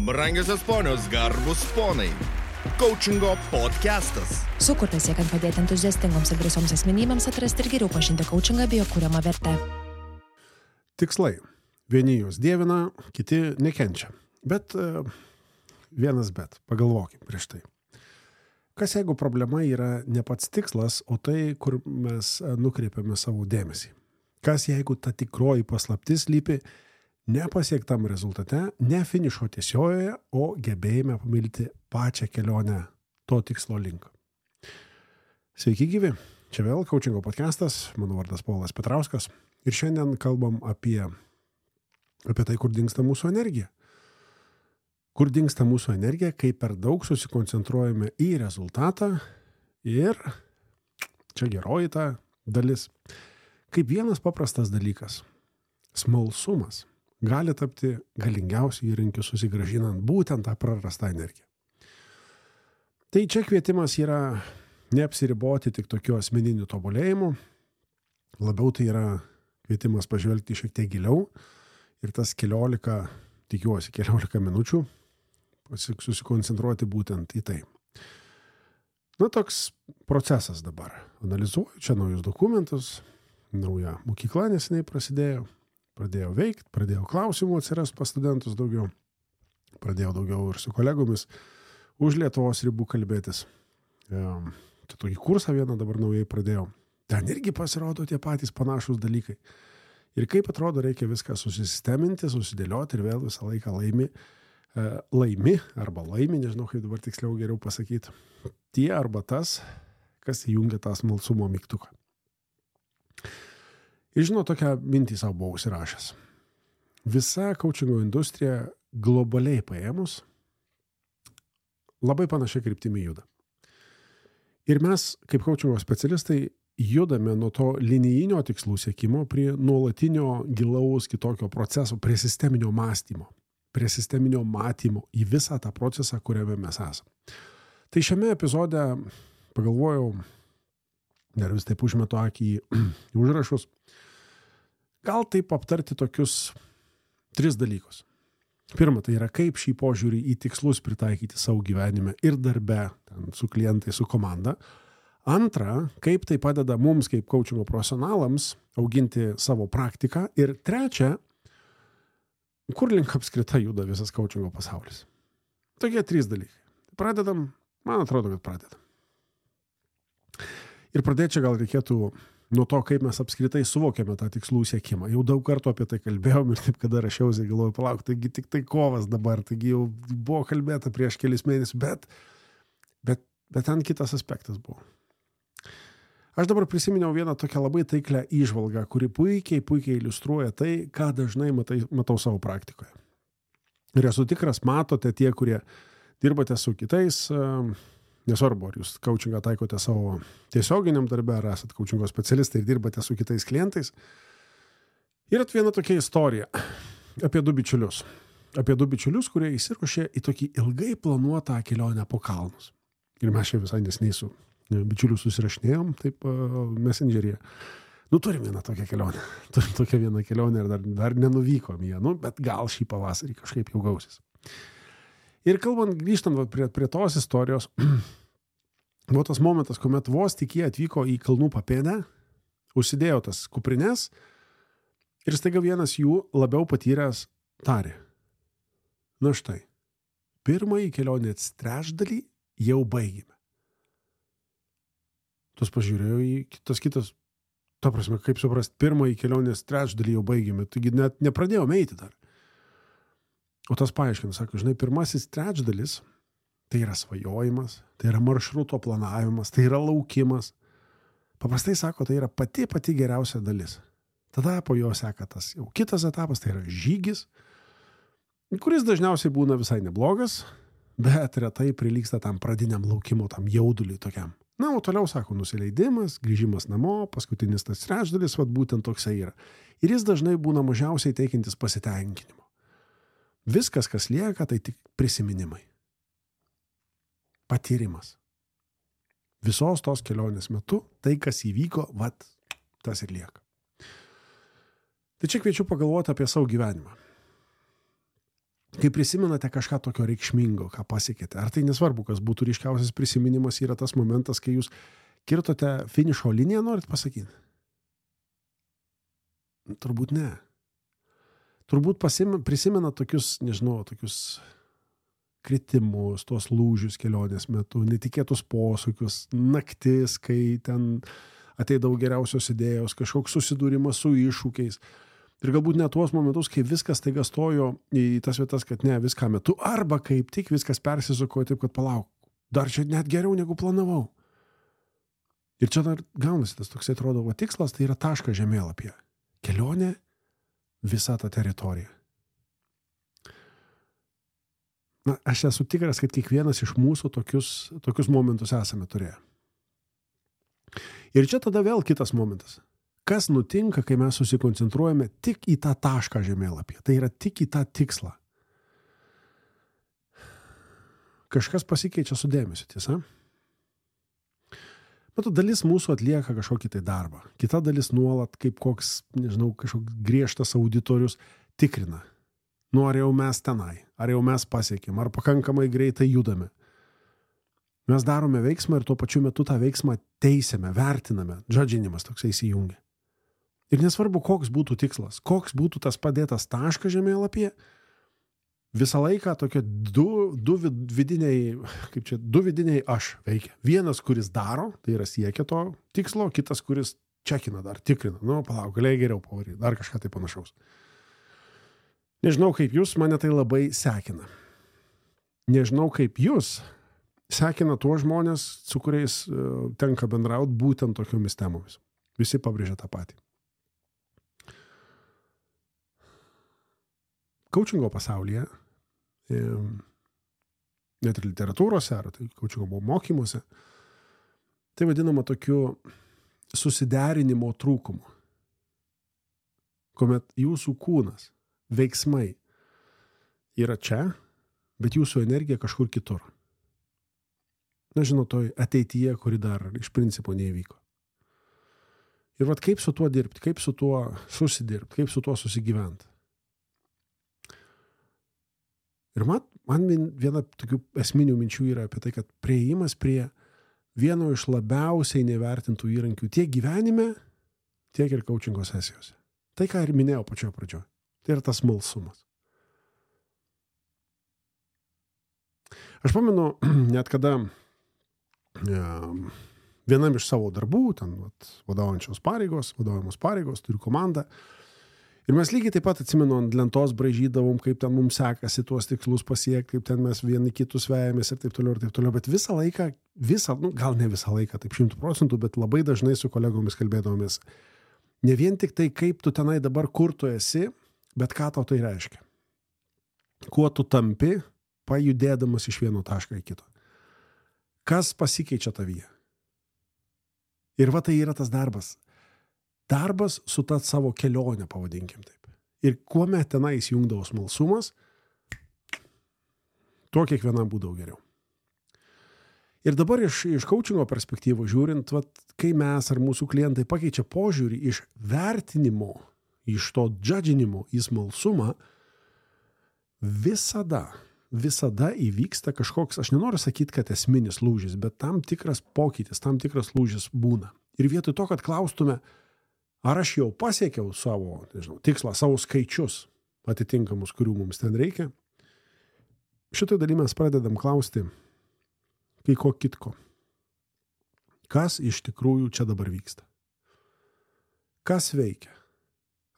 Brangiosios ponios, garbus ponai. Coachingo podcastas. Sukurtas siekiant padėti entuziastingoms ir drąsioms asmenybėms atrasti ir geriau pažinti coachingą bei jo kuriamą vertę. Tikslai. Vieni juos dievina, kiti nekenčia. Bet vienas bet. Pagalvokim prieš tai. Kas jeigu problema yra ne pats tikslas, o tai, kur mes nukreipiame savo dėmesį? Kas jeigu ta tikroji paslaptis lypi nepasiektam rezultate, ne finišo tiesiojoje, o gebėjime pamilti pačią kelionę to tikslo link? Sveiki gyvi, čia vėl Coachingo podcastas, mano vardas Povilas Petrauskas ir šiandien kalbam apie tai, kur dingsta mūsų energija. Kur dingsta mūsų energija, kai per daug susikoncentruojame į rezultatą ir čia geroji ta dalis. Kaip vienas paprastas dalykas, smalsumas gali tapti galingiausiu įrankiu susigrąžinant būtent tą prarastą energiją. Tai čia kvietimas yra neapsiriboti tik tokiu asmeniniu tobulėjimu, labiau tai yra kvietimas pažvelgti šiek tiek giliau ir tas 14 minučių susikoncentruoti būtent į tai. Toks procesas dabar. Analizuoju čia naujus dokumentus, nauja mokykla neseniai pradėjau veikti, pradėjau klausimų atsirast pas studentus daugiau, pradėjau daugiau ir su kolegomis už Lietuvos ribų kalbėtis. Čia tokį kursą vieną dabar naujai pradėjau. Ten irgi pasirodo tie patys panašus dalykai. Ir kaip atrodo, reikia viską susisteminti, susidėlioti ir vėl visą laiką laimi, nežinau kaip dabar tiksliau geriau pasakyti, tie arba tas, kas įjungia tą smalsumo mygtuką. Ir tokią mintį savo buvau užsirašęs. Visa coachingo industrija globaliai paėmus labai panašiai kryptimi juda. Ir mes, kaip coachingo specialistai, judame nuo to linijinio tikslų siekimo prie nuolatinio gilaus kitokio proceso, prie sisteminio mąstymo, prie sisteminio matymo į visą tą procesą, kuriame mes esame. Tai šiame epizode pagalvojau, dar vis taip užmetu akį į užrašus, gal taip aptarti tokius 3 dalykus. Pirma, tai yra kaip šį požiūrį į tikslus pritaikyti savo gyvenime ir darbe, su klientai, su komanda. Antra, kaip tai padeda mums kaip coachingo profesionalams auginti savo praktiką. Ir trečia, kur link apskritai juda visas coachingo pasaulis. Tokie 3 dalykai. Pradedam, man atrodo, kad pradedam. Ir pradėti čia gal reikėtų nuo to, kaip mes apskritai suvokiame tą tikslų siekimą. Jau daug kartų apie tai kalbėjom ir taip, kada rašiausi, galvoju, palauk, taigi tik tai kovas dabar, taigi jau buvo kalbėta prieš kelis mėnesius, bet ten kitas aspektas buvo. Aš dabar prisiminiau vieną tokią labai taiklę įžvalgą, kuri puikiai iliustruoja tai, ką dažnai matau savo praktikoje. Ir esu tikras, matote tie, kurie dirbate su kitais, nesvarbu, ar jūs coachingą taikote savo tiesioginiam darbe, ar esate coachingo specialistai ir dirbate su kitais klientais. Ir viena tokia istorija apie 2 bičiulius. Apie 2 bičiulius, kurie įsiruošė į tokį ilgai planuotą kelionę po kalnus. Ir mes čia visai neseniai su bičiuliu susirašinėjom, taip Messengeryje. Turim vieną tokią kelionę. Turim tokią vieną kelionę ir dar nenuvykom ją, bet gal šį pavasarį kažkaip jau gausis. Ir grįžtant prie tos istorijos, buvo tas momentas, kuomet vos tik jie atvyko į kalnų papėdę, užsidėjo tas kuprines ir staiga vienas jų labiau patyręs tarė. Na štai, pirmąjį kelionės trečdalį jau baigėme. Tas pažiūrėjo į kitas, ta prasme, kaip suprast, pirmąjį kelionės trečdalį jau baigėme, taigi net nepradėjome eiti dar. O tas paaiškina, sako, pirmasis trečdalis, tai yra svajojimas, tai yra maršruto planavimas, tai yra laukimas. Paprastai sako, tai yra pati geriausia dalis. Tada po jo seka tas jau kitas etapas, tai yra žygis, kuris dažniausiai būna visai neblogas, bet retai prilygsta tam pradiniam laukimo, tam jauduliui tokiam. O toliau, sako, nusileidimas, grįžimas namo, paskutinis tas trečdalis, būtent toksai yra. Ir jis dažnai būna mažiausiai teikiantis pasitenkinimo. Viskas, kas lieka, tai tik prisiminimai. Patyrimas. Visos tos kelionės metu, tai, kas įvyko, tas ir lieka. Tai čia kviečiu pagalvoti apie savo gyvenimą. kai prisimenate kažką tokio reikšmingo, ką pasiekėte, ar tai nesvarbu, kas būtų ryškiausias prisiminimas, yra tas momentas, kai jūs kirtote finišo liniją, norit pasakyti? Turbūt ne. Turbūt prisimena tokius, nežinau, tokius kritimus, tuos lūžius kelionės metu, netikėtus posūkius, naktis, kai ten ateidavo geriausios idėjos, kažkoks susidūrimas su iššūkiais. Ir galbūt net tuos momentus, kai viskas taiga stojo į tas vietas, kad ne, viską metu, arba kaip tik viskas persisukojo taip, kad palauk, dar čia net geriau negu planavau. Ir čia dar gaunasi tas toksai atrodo, va tikslas tai yra taškas žemėlapyje. Kelionė visa ta teritorija. Na, aš esu tikras, kad kiekvienas iš mūsų tokius momentus esame turėję. Ir čia tada vėl kitas momentas. Kas nutinka, kai mes susikoncentruojame tik į tą tašką žemėlapyje? Tai yra tik į tą tikslą. Kažkas pasikeičia su dėmesiu, tiesa? Bet dalis mūsų atlieka kažkokį tai darbą. Kita dalis nuolat kaip koks, nežinau, kažkoks griežtas auditorius tikrina. Nu, ar jau mes tenai, ar jau mes pasiekėm, ar pakankamai greitai judame. Mes darome veiksmą ir tuo pačiu metu tą veiksmą teisėme, vertiname, džadžinimas toksai įsijungia. Ir nesvarbu, koks būtų tikslas, koks būtų tas padėtas taškas žemėlapyje, visą laiką tokie du vidiniai aš veikia. Vienas, kuris daro, tai yra siekia to tikslo, kitas, kuris čekina dar, tikrina. Nu, palauk, galėjai geriau pavaryti, dar kažką tai panašaus. Nežinau, kaip jūs, mane tai labai sekina. Nežinau, kaip jūs sekina tuos žmonės, su kuriais tenka bendrauti būtent tokiomis temomis. Visi pabrėžia tą patį. Coachingo pasaulyje, net ir literatūrose, ar tai coachingo mokymuose, tai vadinama tokiu susiderinimo trūkumu. Kuomet jūsų kūnas, veiksmai yra čia, bet jūsų energija kažkur kitur. Na, žinau, toj ateityje, kuri dar iš principo neįvyko. Ir vat kaip su tuo dirbti, kaip su tuo susidirbti, kaip su tuo susigyventi. Ir man viena tokių esminių minčių yra apie tai, kad priėjimas prie vieno iš labiausiai nevertintų įrankių tiek gyvenime, tiek ir coachingo sesijose. Tai, ką ir minėjau pačioje pradžioje. Tai yra tas smalsumas. Aš pamenu, net kada vienam iš savo darbų, ten vadovaujamos pareigos, turiu komandą. Ir mes lygiai taip pat atsimenu, ant lentos braižydavom, kaip ten mums sekasi tuos tikslus pasiekti, kaip ten mes vieni kitus vejamės ir taip toliau. Bet visą laiką, gal ne visą laiką, taip 100%, bet labai dažnai su kolegomis kalbėdavomės. Ne vien tik tai, kaip tu tenai dabar, kur tu esi, bet ką tau tai reiškia. Kuo tu tampi, pajudėdamas iš vieno taško į kito. Kas pasikeičia tavyje? Ir va tai yra tas darbas. Darbas su ta savo kelionė, pavadinkim taip. Ir kuomet tenai įsijungdavo smalsumas, tuo kiekvienam būdavo geriau. Ir dabar iš coachingo perspektyvos žiūrint, kai mes ar mūsų klientai pakeičia požiūrį iš vertinimo, iš to džadžinimo į smalsumą, visada įvyksta kažkoks, aš nenoriu sakyti, kad esminis lūžis, bet tam tikras pokytis, tam tikras lūžis būna. Ir vietoj to, kad klaustume, ar aš jau pasiekiau savo, tikslą, savo skaičius atitinkamus, kurių mums ten reikia, šitoj daly mes pradedam klausti, kai ko kitko. Kas iš tikrųjų čia dabar vyksta? Kas veikia?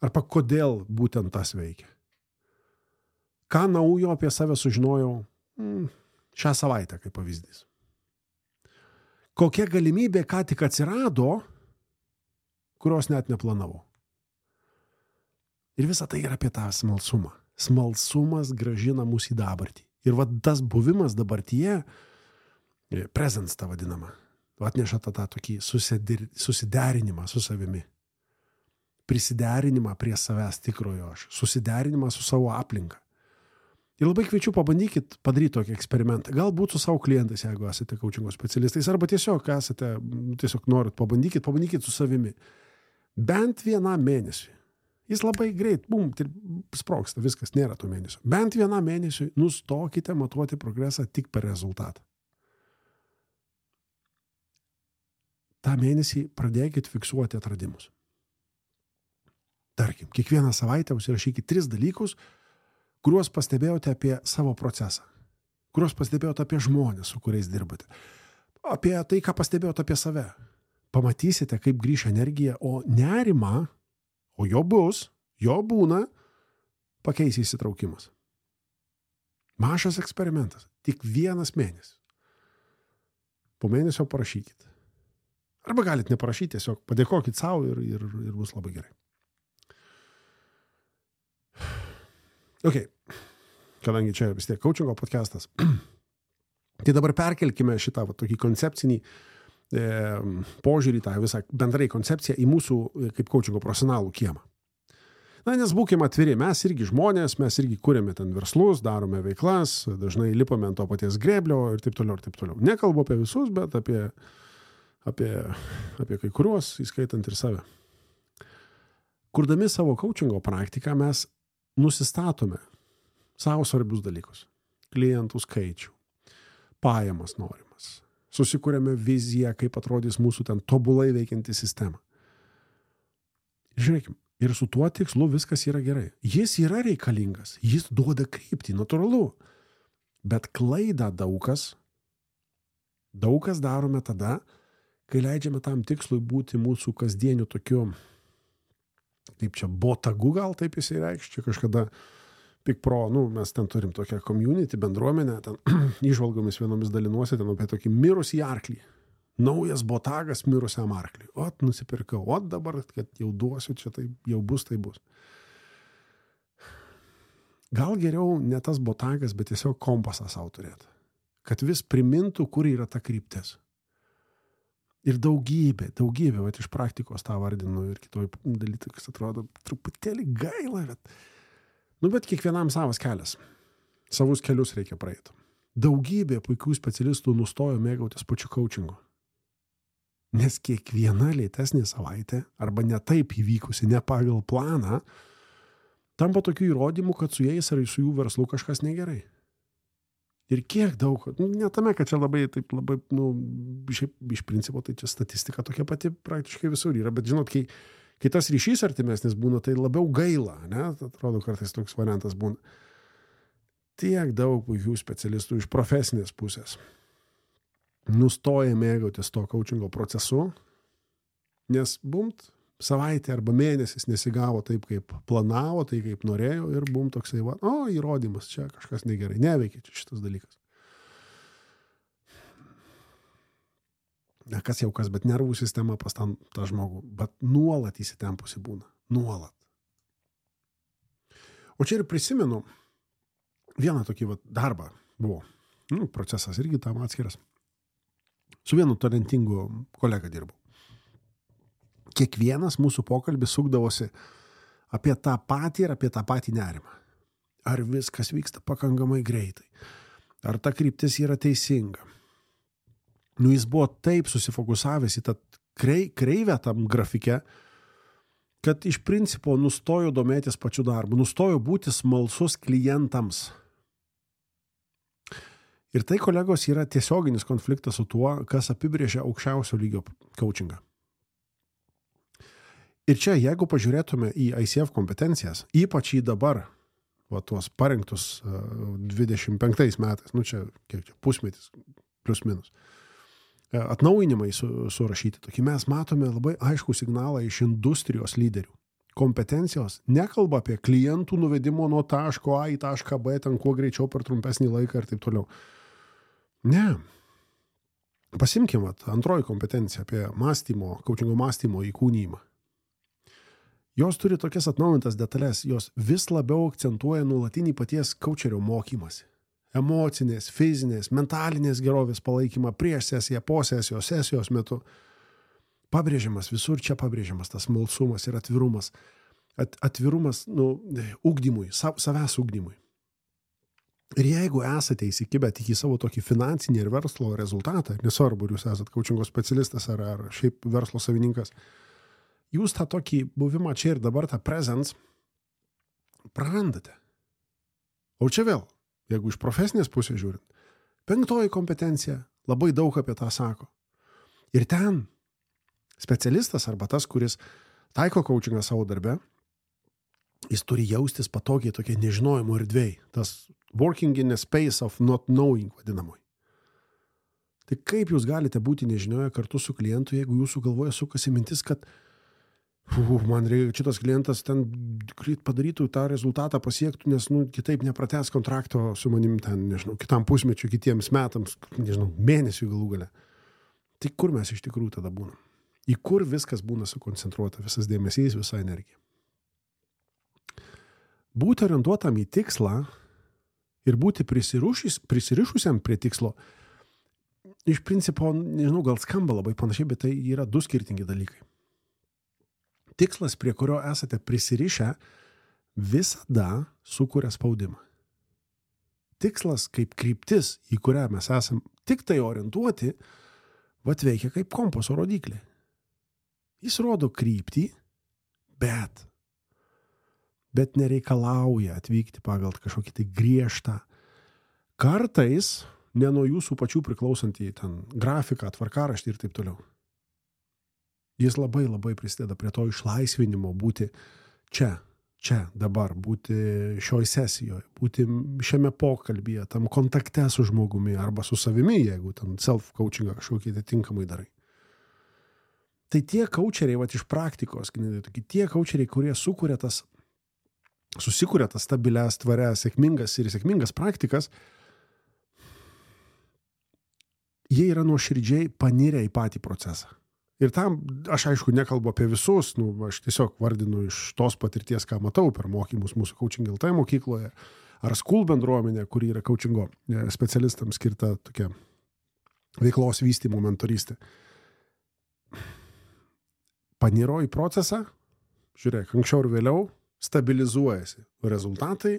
Arba kodėl būtent tas veikia? Ką naujo apie save sužinojau šią savaitę, kaip pavyzdys? Kokia galimybė ką tik atsirado, kurios net neplanavau. Ir visa tai yra apie tą smalsumą. Smalsumas grąžina mus į dabartį. Ir tas buvimas dabartyje, presence tą vadinamą, atneša tą tokį susiderinimą su savimi. Prisiderinimą prie savęs tikrojo aš. Susiderinimą su savo aplinka. Ir labai kviečiu pabandykit padaryti tokį eksperimentą. Galbūt su savo klientais, jeigu esate coachingo specialistais, arba tiesiog norit, pabandykit su savimi. Bent vienam mėnesiui Jis labai greit, sprogsta, viskas, nėra to mėnesio. Bent vieną mėnesį nustokite matuoti progresą tik per rezultatą. tą mėnesį pradėkit fiksuoti atradimus. Tarkim, kiekvieną savaitę užsirašykit 3 dalykus, kuriuos pastebėjote apie savo procesą, kuriuos pastebėjote apie žmonės, su kuriais dirbate, apie tai, ką pastebėjote apie save. Pamatysite, kaip grįš energija, o nerimą, o jo bus, jo būna, pakeis įsitraukimas. Mažas eksperimentas, tik 1 mėnesis. Po mėnesio parašykit. Arba galit neparašyti, tiesiog padėkokit savo ir bus labai gerai. Ok, kadangi čia vis tiek coachingo podcastas, tai dabar perkelkime šitą tokį koncepcinį požiūrį, tą visą bendrai koncepciją į mūsų kaip coachingo profesionalų kiemą. Na, nes būkime atviri, mes irgi žmonės, mes irgi kūrėme ten verslus, darome veiklas, dažnai lipame ant to paties grėblio ir taip toliau, ir taip toliau. Nekalbu apie visus, bet apie kai kuriuos, įskaitant ir save. Kurdami savo coachingo praktiką, mes nusistatome savo svarbius dalykus. Klientų skaičių, pajamas norimas. Susikūrėme viziją, kaip atrodys mūsų ten tobulai veikianti sistema. Žiūrėkime, ir su tuo tikslu viskas yra gerai. Jis yra reikalingas, jis duoda kryptį, natūralu. Bet klaidą daug kas darome tada, kai leidžiame tam tikslui būti mūsų kasdieniu tokiu, kaip čia, botagu gal taip jisai reikš, čia kažkada PikPro, mes ten turim tokią community, bendruomenę, ten įžvalgomis vienomis dalinuosi, ten apie tokį mirusį arklį. Naujas botagas mirusiam arkliui. Ot, nusipirkau, dabar, kad jau duosiu, čia tai jau bus, tai bus. Gal geriau ne tas botagas, bet tiesiog kompasą savo turėti. Kad vis primintų, kur yra ta kryptis. Ir daugybė, vat iš praktikos tą vardinu ir kitoj dalykas atrodo truputėlį gaila, bet kiekvienam savas kelias. Savus kelius reikia praeiti. Daugybė puikių specialistų nustojo mėgautis pačiu coachingu. Nes kiekviena lėtesnė savaitė, arba ne taip įvykusi, ne pagal planą, tampa tokių įrodymų, kad su jais ar su jų verslu kažkas negerai. Ir kiek daug, ne tame, kad čia labai, iš principo, tai čia statistika tokia pati praktiškai visur yra, bet žinot, kai tas ryšys artimesnis būna, tai labiau gaila, ne? Atrodo, kartais toks variantas būna. Tiek daug puikių specialistų iš profesinės pusės nustoja mėgautis to coachingo procesu, nes savaitė arba mėnesis nesigavo taip, kaip planavo, tai kaip norėjo ir toksai, įrodymas, čia kažkas negerai, neveikia čia šitas dalykas. Kas jau kas, bet nervų sistema pas tą žmogų, bet nuolat įsitempusi būna, nuolat. O čia ir prisimenu vieną tokį darbą buvo, procesas irgi tam atskiras. Su vienu talentingu kolega dirbau. Kiekvienas mūsų pokalbis sukdavosi apie tą patį ir apie tą patį nerimą. Ar viskas vyksta pakankamai greitai? Ar ta kryptis yra teisinga? Jis buvo taip susifokusavęs į tą kreivę tam grafike, kad iš principo nustojo domėtis pačiu darbu, nustojo būti smalsus klientams. Ir tai, kolegos, yra tiesioginis konfliktas su tuo, kas apibrėžia aukščiausio lygio coachingą. Ir čia, jeigu pažiūrėtume į ICF kompetencijas, ypač į dabar, tuos parengtus 25 metais, čia pusmetis, plus minus, atnaujinimai surašyti, tokį mes matome labai aiškų signalą iš industrijos lyderių. Kompetencijos nekalba apie klientų nuvedimo nuo taško A į tašką B, ten kuo greičiau per trumpesnį laiką ir taip toliau. Ne. Pasimkim, antroji kompetencija apie coachingo mąstymo įkūnijimą. Jos turi tokias atnaujintas detalės, jos vis labiau akcentuoja nuolatinį paties coacherio mokymasi. Emocinės, fizinės, mentalinės gerovės palaikymą prieš sesiją, po sesijos, sesijos metu. Pabrėžiamas, visur čia pabrėžiamas tas smalsumas ir atvirumas. Atvirumas, ugdymui, savęs ugdymui. Ir jeigu esate įsikibę tik į savo tokį finansinį ir verslo rezultatą, nesvarbu, ar jūs esate coachingo specialistas ar šiaip verslo savininkas, jūs tą tokį buvimą čia ir dabar, tą presence, prarandate. O čia vėl, jeigu iš profesinės pusės žiūrint, 5 kompetencija labai daug apie tą sako. Ir ten specialistas arba tas, kuris taiko coachingą savo darbe, jis turi jaustis patogiai tokie nežinojimo erdvėj. Tas working in a space of not knowing vadinamoj. Tai kaip jūs galite būti nežinioje kartu su klientu, jeigu jūsų galvoje sukasi mintis, kad man reikia, šitas klientas ten padarytų tą rezultatą pasiektų, nes kitaip nepratęs kontrakto su manim ten, nežinau, kitam pusmečiu, kitiems metams, nežinau, mėnesių galų gale. Tai kur mes iš tikrųjų tada būnam? Į kur viskas būna sukoncentruota, visas dėmesys, visa energija. Būti orientuotam į tikslą ir būti prisirišusiam prie tikslo, iš principo, nežinau, gal skamba labai panašiai, bet tai yra 2 skirtingi dalykai. Tikslas, prie kurio esate prisirišę, visada sukuria spaudimą. Tikslas kaip kryptis, į kurią mes esam tik tai orientuoti, veikia kaip kompaso rodiklė. Jis rodo kryptį, bet nereikalauja atvykti pagal kažkokį tai griežtą. Kartais ne nuo jūsų pačių priklausantį ten grafiką, tvarkaraštį ir taip toliau. Jis labai labai prisideda prie to išlaisvinimo būti čia, dabar, būti šioj sesijoje, būti šiame pokalbyje, tam kontakte su žmogumi arba su savimi, jeigu ten self-coachingą kažkokį tinkamai darai. Tai tie coacheriai, iš praktikos, tie coacheriai, kurie susikuria tas stabilias, tvarias, sėkmingas praktikas, jie yra nuoširdžiai panirę į patį procesą. Ir tam, aš aišku, nekalbu apie visus, aš tiesiog vardinu iš tos patirties, ką matau per mokymus mūsų Coaching LT mokykloje, ar School bendruomenė, kuri yra coachingo specialistams skirta tokia veiklos vystymo mentorystė. Paniro į procesą, žiūrėk, anksčiau ir vėliau, stabilizuojasi rezultatai,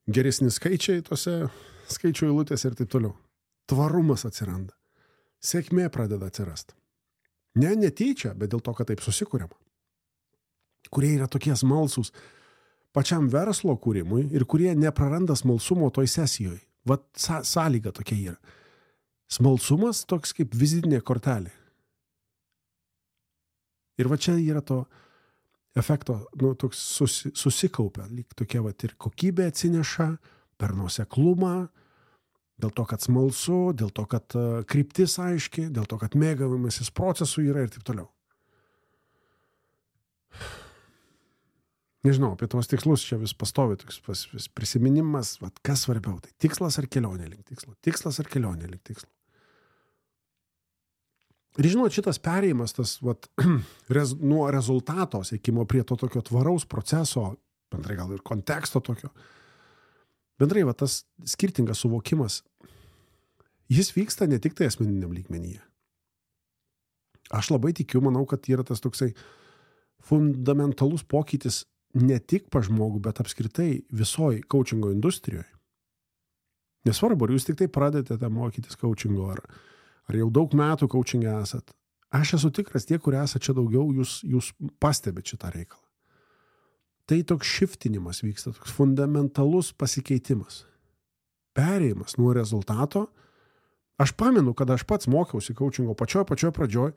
geresni skaičiai tose skaičių eilutėse ir taip toliau. Tvarumas atsiranda. Sėkmė pradeda atsirasti. Ne netyčia, bet dėl to, kad taip susikuriama. Kurie yra tokie smalsūs pačiam verslo kūrimui ir kurie nepraranda smalsumo toj sesijoje. Sąlyga tokia yra. Smalsumas toks kaip vizitinė kortelė. Ir čia yra to efekto, toks susikaupia, lyg tokia ir kokybė atsineša per nuoseklumą, dėl to, kad smalsu, dėl to, kad kryptis aiški, dėl to, kad mėgavimasis procesų yra ir taip toliau. Nežinau, apie tos tikslus čia vis pastovi toks prisiminimas, kas svarbiau, tai tikslas ar kelionė link tikslo. Tikslas ar kelionė link tikslo. Ir žinot, šitas perėjimas, tas nuo rezultato siekimo prie to tokio tvaraus proceso, bendrai gal ir konteksto tokio, bendrai tas skirtingas suvokimas, jis vyksta ne tik tai asmeniniam lygmenyje. Aš labai tikiu, manau, kad yra tas toksai fundamentalus pokytis ne tik pa žmogų, bet apskritai visoj coachingo industrijoje. Nesvarbu, ar jūs tik tai pradedate mokytis coachingo, ar jau daug metų coachingė esat. Aš esu tikras, tie, kurie esat čia daugiau, jūs pastebit šitą reikalą. Tai toks shiftinimas vyksta, toks fundamentalus pasikeitimas. Perėjimas nuo rezultato. Aš pamenu, kad aš pats mokiausi coachingo pačioj pradžioj,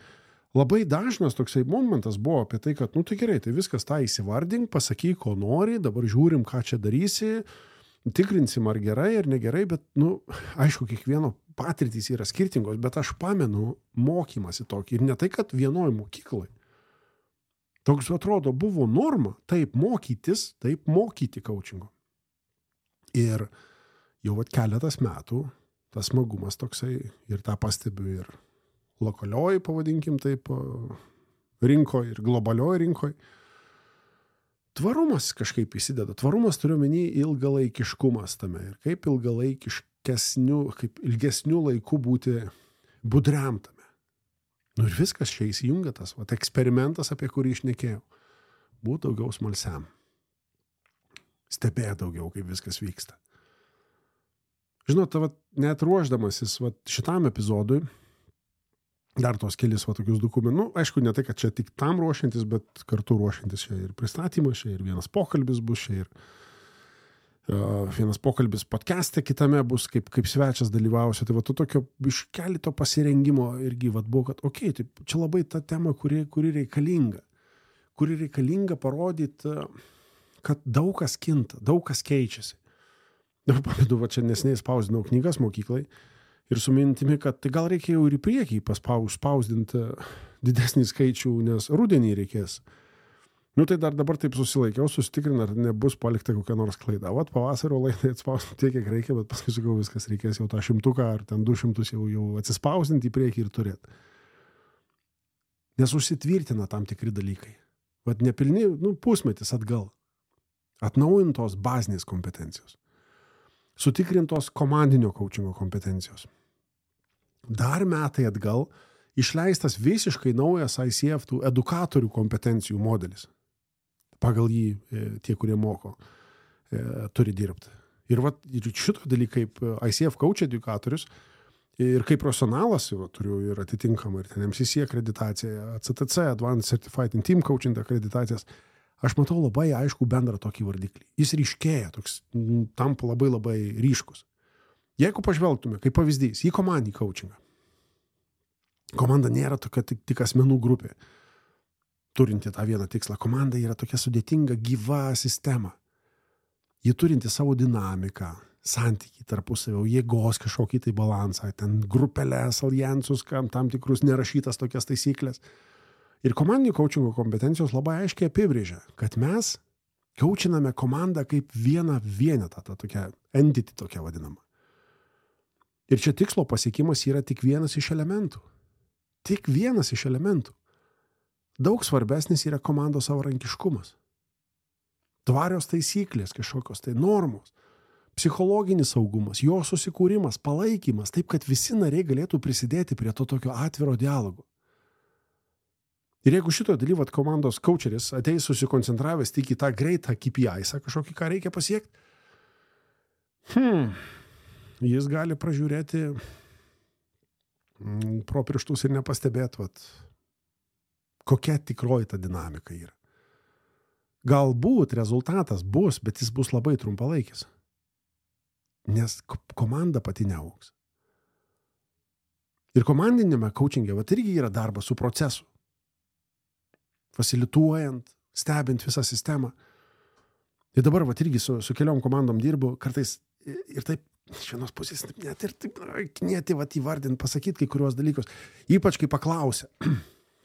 labai dažnas toksai momentas buvo apie tai, kad, tai gerai, tai viskas tą įsivardink, pasakyk, ko nori, dabar žiūrim, ką čia darysi, tikrinsim, ar gerai, ar negerai, bet, aišku, kiekvieno patirtys yra skirtingos, bet aš pamenu mokymasi tokį. Ir ne tai, kad vienoj mokyklai. Toks, atrodo, buvo norma, taip mokytis, taip mokyti coachingo. Ir jau keletas metų tas smagumas toksai, ir tą pastebiu ir lokalioj, pavadinkim taip, rinkoje ir globalioj rinkoje. Tvarumas kažkaip įsideda. Tvarumas turiu omeny ilgalaikiškumas tame. Ir kaip kaip ilgesnių laikų būti budriam tame. Ir viskas čia įsijungia tas, eksperimentas, apie kurį išnekėjau. Būt daugiau smalsiam. Stebėt daugiau, kaip viskas vyksta. Žinot, net ruošdamasis šitam epizodui, dar tos kelis tokius dokumentus. Nu, aišku, ne tai, kad čia tik tam ruošiantis, bet kartu ruošiantis čia ir pristatymas, čia ir vienas pokalbis bus, čia ir vienas pokalbis podcast'e kitame bus, kaip svečias dalyvausiu. Tai va, tu tokio iš kelito pasirengimo irgi buvo, kad taip, čia labai ta tema, kuri reikalinga. Kuri reikalinga parodyti, kad daug kas kinta, daug kas keičiasi. Dabar pamėdu, va čia nesiniai spausdinau knygas mokyklai ir su mintimi, kad tai gal reikia jau ir į priekį spausdinti didesnį skaičių, nes rudenį reikės. Nu tai dar dabar taip susilaikiau, susitikrinu, ar nebus palikta kokia nors klaida. Vat pavasario laidai atspausdinti tiek, kiek reikia, bet paskui sakau, viskas reikės jau tą 100 ar ten 200 jau atsispausdinti į priekį ir turėti. Nes užsitvirtina tam tikri dalykai. Vat nepilni, pusmetis atgal. Atnaujintos bazinės kompetencijos. Sutikrintos komandinio coachingo kompetencijos. Dar metai atgal išleistas visiškai naujas ICF tų edukatorių kompetencijų modelis. Pagal jį tie, kurie moko, turi dirbti. Ir šito dalykai kaip ICF coach edukatorius ir kaip profesionalas turiu ir atitinkamą ir ten MCC akreditaciją, CTC, Advanced Certified in Team Coaching akreditacijas. Aš matau labai aišku bendrą tokį vardiklį. Jis ryškėja, toks tampa labai labai ryškus. Jeigu pažvelgtume, kaip pavyzdys, į komandinį coachingą. Komanda nėra tokia tik asmenų grupė, turinti tą vieną tikslą. Komanda yra tokia sudėtinga, gyva sistema. Ji turinti savo dinamiką, santykį tarpusavio, jėgos kažkokį tai balansą, ten grupelės, alijansus, tam tikrus nerašytas tokias taisyklės. Ir komandinio coachingo kompetencijos labai aiškiai apibrėžia, kad mes coachiname komandą kaip vieną vienetą, tą tokią entity tokia vadinama. Ir čia tikslo pasiekimas yra tik vienas iš elementų. Tik vienas iš elementų. Daug svarbesnis yra komandos savarankiškumas. Tvarios taisyklės, kažkokios tai normos, psichologinis saugumas, jo susikūrimas, palaikymas, taip, kad visi nariai galėtų prisidėti prie to tokio atviro dialogo. Ir jeigu šito dalyvat komandos coacheris ateis susikoncentravęs tik į tą greitą KPI-są, kažkokį, ką reikia pasiekti, jis gali pražiūrėti pro pirštus ir nepastebėti, kokia tikroji ta dinamika yra. Galbūt rezultatas bus, bet jis bus labai trumpalaikis. Nes komanda pati neaugs. Ir komandinėme coachinge irgi yra darbas su procesu. Fasilituojant, stebint visą sistemą. Ir dabar irgi su keliom komandom dirbu, kartais ir taip, iš vienos pusės, net ir taip knieti įvardinti, pasakyti kai kuriuos dalykus. Ypač kai paklausia,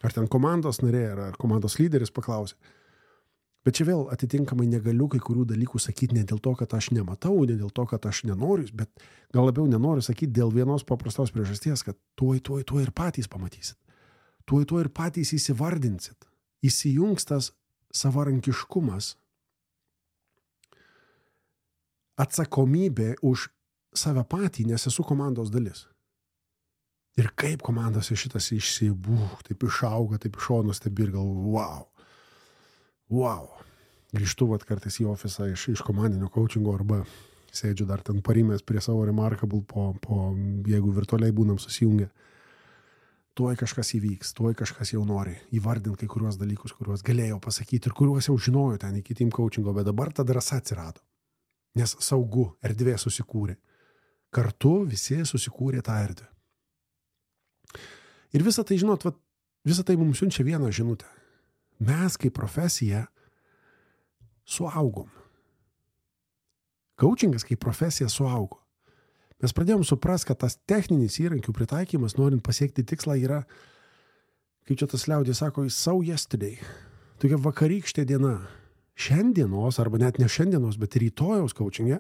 ar ten komandos narė, ar komandos lyderis paklausia. Bet čia vėl atitinkamai negaliu kai kurių dalykų sakyti ne dėl to, kad aš nematau, ne dėl to, kad aš nenoriu, bet gal labiau nenoriu sakyti dėl vienos paprastos priežasties, kad tuoj ir patys pamatysit. Tuoj ir patys įsivardinsit. Įsijungs tas savarankiškumas, atsakomybė už save patį, nes esu komandos dalis. Ir kaip komandose šitas taip išauga, taip iš šono stebi ir galvoju, wow. Grįžtu kartais į ofisą iš komandinio coachingo arba sėdžiu dar ten parimęs prie savo Remarkable jeigu virtualiai būnam susijungę. Tuoj kažkas įvyks, tuoj kažkas jau nori įvardinti kai kuriuos dalykus, kuriuos galėjau pasakyti ir kuriuos jau žinojau ten iki team coachingo, bet dabar ta drąsa atsirado. Nes saugu, erdvė susikūrė. Kartu visi susikūrė tą erdvę. Ir visą tai, žinot, visą tai mums siunčia vieną žinutę. Mes kaip profesija suaugom. Coachingas kaip profesija suaugo. Mes pradėjom suprast, kad tas techninis įrankių pritaikymas, norint pasiekti tikslą, yra, kaip čia tas liaudis sako, so yesterday. Tokia vakarykštė diena. Šiandienos, arba net ne šiandienos, bet rytojaus coachinge,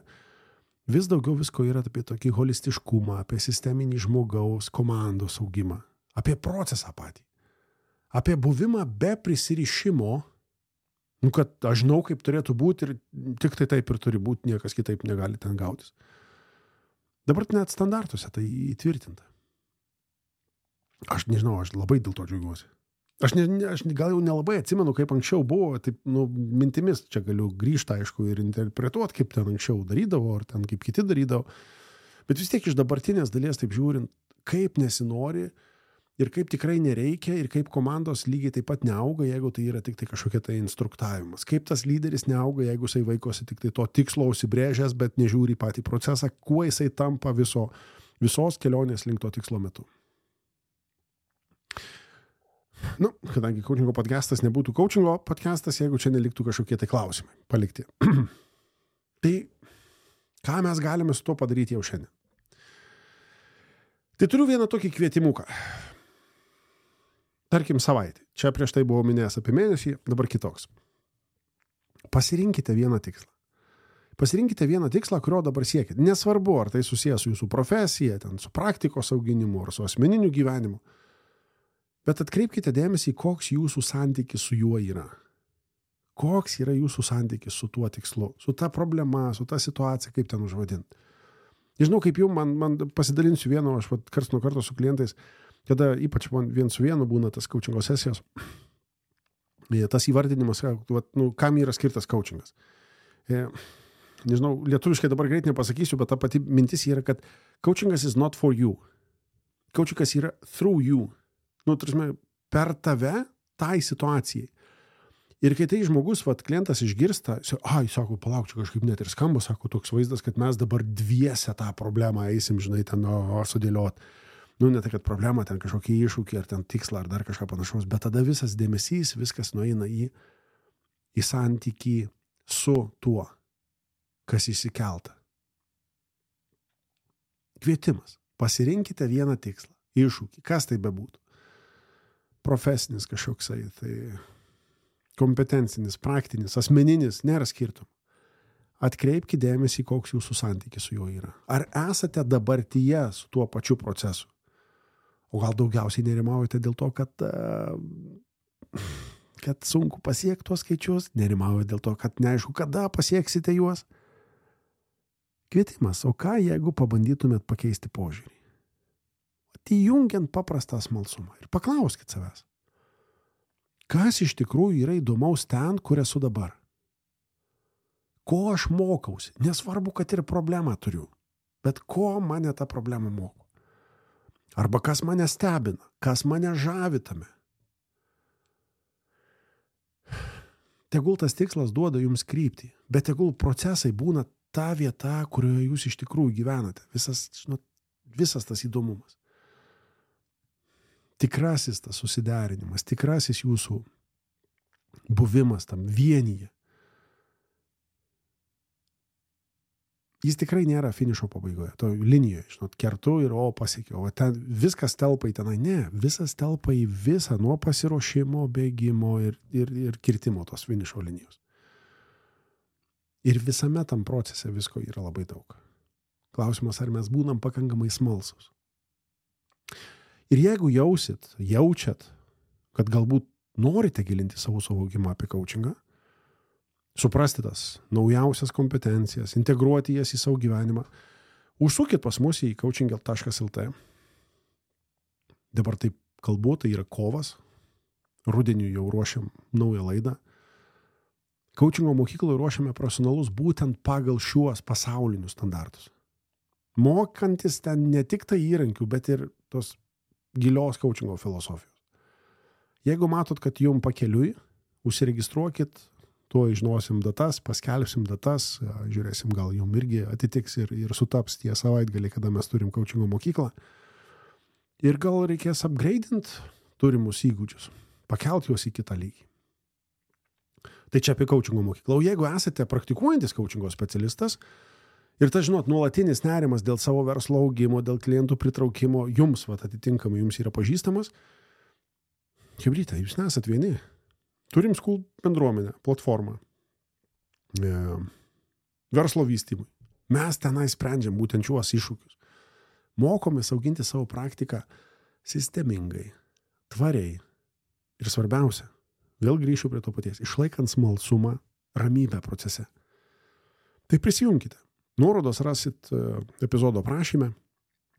vis daugiau visko yra apie tokį holistiškumą, apie sisteminį žmogaus komandos augimą, apie procesą patį, apie buvimą be prisirišimo, kad aš žinau, kaip turėtų būti ir tik tai taip ir turi būti, niekas kitaip negali ten gautis. Dabar net standartuose tai įtvirtinta. Aš nežinau, aš labai dėl to džiaugiuosi. Aš gal jau nelabai atsimenu, kaip anksčiau buvo, taip, mintimis čia galiu grįžti, aišku, ir interpretuoti, kaip ten anksčiau darydavo, ar ten kaip kiti darydavo. Bet vis tiek iš dabartinės dalies, taip žiūrint, kaip nesinori ir kaip tikrai nereikia, ir kaip komandos lygiai taip pat neauga, jeigu tai yra tik tai kažkokia tai instruktavimas. Kaip tas lyderis neauga, jeigu jisai vaikosi tik tai to tikslo užsibrėžęs, bet nežiūri į patį procesą, kuo jisai tampa visos kelionės link to tikslo metu. Kadangi coachingo podcastas nebūtų coachingo podcastas, jeigu čia neliktų kažkokie tai klausimai palikti. Tai ką mes galime su tuo padaryti jau šiandien? Tai turiu vieną tokį kvietimuką. Tarkim savaitę. Čia prieš tai buvau minėjęs apie mėnesį, dabar kitoks. Pasirinkite vieną tikslą. Pasirinkite vieną tikslą, kurio dabar siekite. Nesvarbu, ar tai susijęs su jūsų profesija, su praktikos auginimu, ar su asmeniniu gyvenimu. Bet atkreipkite dėmesį, koks jūsų santykis su juo yra. Koks yra jūsų santykis su tuo tikslu, su ta problema, su ta situacija, kaip ten užvadinti. Nežinau, kaip jau man pasidalinsiu vieno, aš karts nuo karto su klientais, kada ypač vien su vienu būna tas coachingo sesijos, tas įvardinimas, kam yra skirtas coachingas. Nežinau, lietuviškai dabar greit nepasakysiu, bet ta pati mintis yra, kad coachingas is not for you. Coachingas yra through you. Per tave tai situacijai. Ir kai tai žmogus, klientas išgirsta, sako, palauk, čia kažkaip net ir skamba, sako, toks vaizdas, kad mes dabar dviese tą problemą eisim, ten sudėliot. Ne tai, kad problema, ten kažkokie iššūkiai, ar ten tikslą, ar dar kažką panašaus, bet tada visas dėmesys, viskas nueina į santykį su tuo, kas įsikelta. Kvietimas. Pasirinkite vieną tikslą, iššūkį, kas tai bebūtų. Profesinis kažkoksai, tai kompetencinis, praktinis, asmeninis, nėra skirtumų. Atkreipkite dėmesį, koks jūsų santykis su juo yra. Ar esate dabartyje su tuo pačiu procesu? O gal daugiausiai nerimaujate dėl to, kad sunku pasiekti tuos skaičius, nerimaujate dėl to, kad neaišku, kada pasieksite juos. Kvietimas, o ką jeigu pabandytumėt pakeisti požiūrį? Įjungiant paprastą smalsumą ir paklauskit savęs. Kas iš tikrųjų yra įdomaus ten, kur esu dabar? Ko aš mokausi? Nesvarbu, kad ir problemą turiu, bet ko mane ta problema moko? Arba kas mane stebina, kas mane žavi tame? Tegul tas tikslas duoda jums kryptį, bet tegul procesai būna ta vieta, kurioje jūs iš tikrųjų gyvenate. Visas tas įdomumas. Tikrasis tas susiderinimas, tikrasis jūsų buvimas tam vienyje. Jis tikrai nėra finišo pabaigoje, to linijoje, kertu ir pasiekiau. O ten viskas telpa į tenai. Ne, visas telpa į visą nuo pasiruošimo, bėgimo ir kirtimo tos finišo linijos. Ir visame tam procese visko yra labai daug. Klausimas, ar mes būnam pakankamai smalsūs. Ir jeigu jaučiat, kad galbūt norite gilinti savo suvokimą apie coachingą, suprasti tas naujausias kompetencijas, integruoti jas į savo gyvenimą, užsukit pas mus į coaching.lt. Dabar taip kalbu, tai yra kovas. Rudeniui jau ruošiam naują laidą. Coachingo mokykloje ruošiame profesionalus būtent pagal šiuos pasaulinius standartus. Mokantis ten ne tik tai įrankių, bet ir tos gilios coachingo filosofijos. Jeigu matot, kad jums pakeliui, užsiregistruokit, tuo žinosim datas, paskelbsim datas, žiūrėsim, gal jums irgi atitiks ir sutaps tie savaitgaliai, kada mes turim coachingo mokyklą. Ir gal reikės upgradeint turimus įgūdžius, pakelt juos į kitą lygį. Tai čia apie coachingo mokyklą. O jeigu esate praktikuojantis coachingo specialistas ir tas, nuolatinis nerimas dėl savo verslo augimo, dėl klientų pritraukimo, jums, atitinkamai, jums yra pažįstamas, chebryte, jūs nesat vieni. Turim School bendruomenę, platformą, verslo vystymui. Mes tenai sprendžiam būtent šiuos iššūkius. Mokomės auginti savo praktiką sistemingai, tvariai ir svarbiausia, vėl grįšiu prie to paties, išlaikant smalsumą, ramybę procese. Tai prisijunkite. Nuorodos rasit epizodo aprašyme,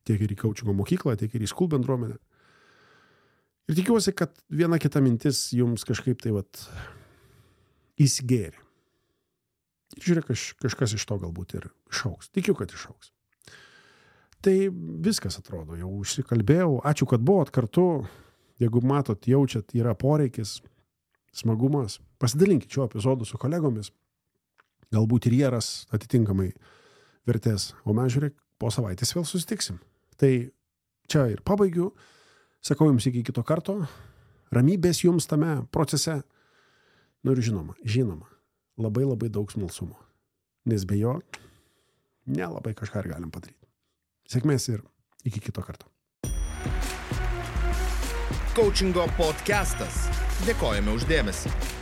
tiek ir į coachingo mokyklą, tiek ir į School bendruomenę. Ir tikiuosi, kad viena kita mintis jums kažkaip tai įsigėrė. Ir žiūrėk, kažkas iš to galbūt ir išaugs. Tikiu, kad išaugs. Tai viskas atrodo, jau užsikalbėjau. Ačiū, kad buvot kartu. Jeigu matot, jaučiat, yra poreikis, smagumas, pasidalinkit šio epizodu su kolegomis. Galbūt ir jie ras atitinkamai vertės. O mes, žiūrėk, po savaitės vėl susitiksim. Tai čia ir pabaigiu. Sakau jums iki kito karto. Ramybės jums tame procese. Nu ir žinoma, labai daug smalsumo. Nes be jo nelabai kažką ir galim padaryti. Sėkmės ir iki kito karto. Coachingo podcastas. Dėkojame už dėmesį.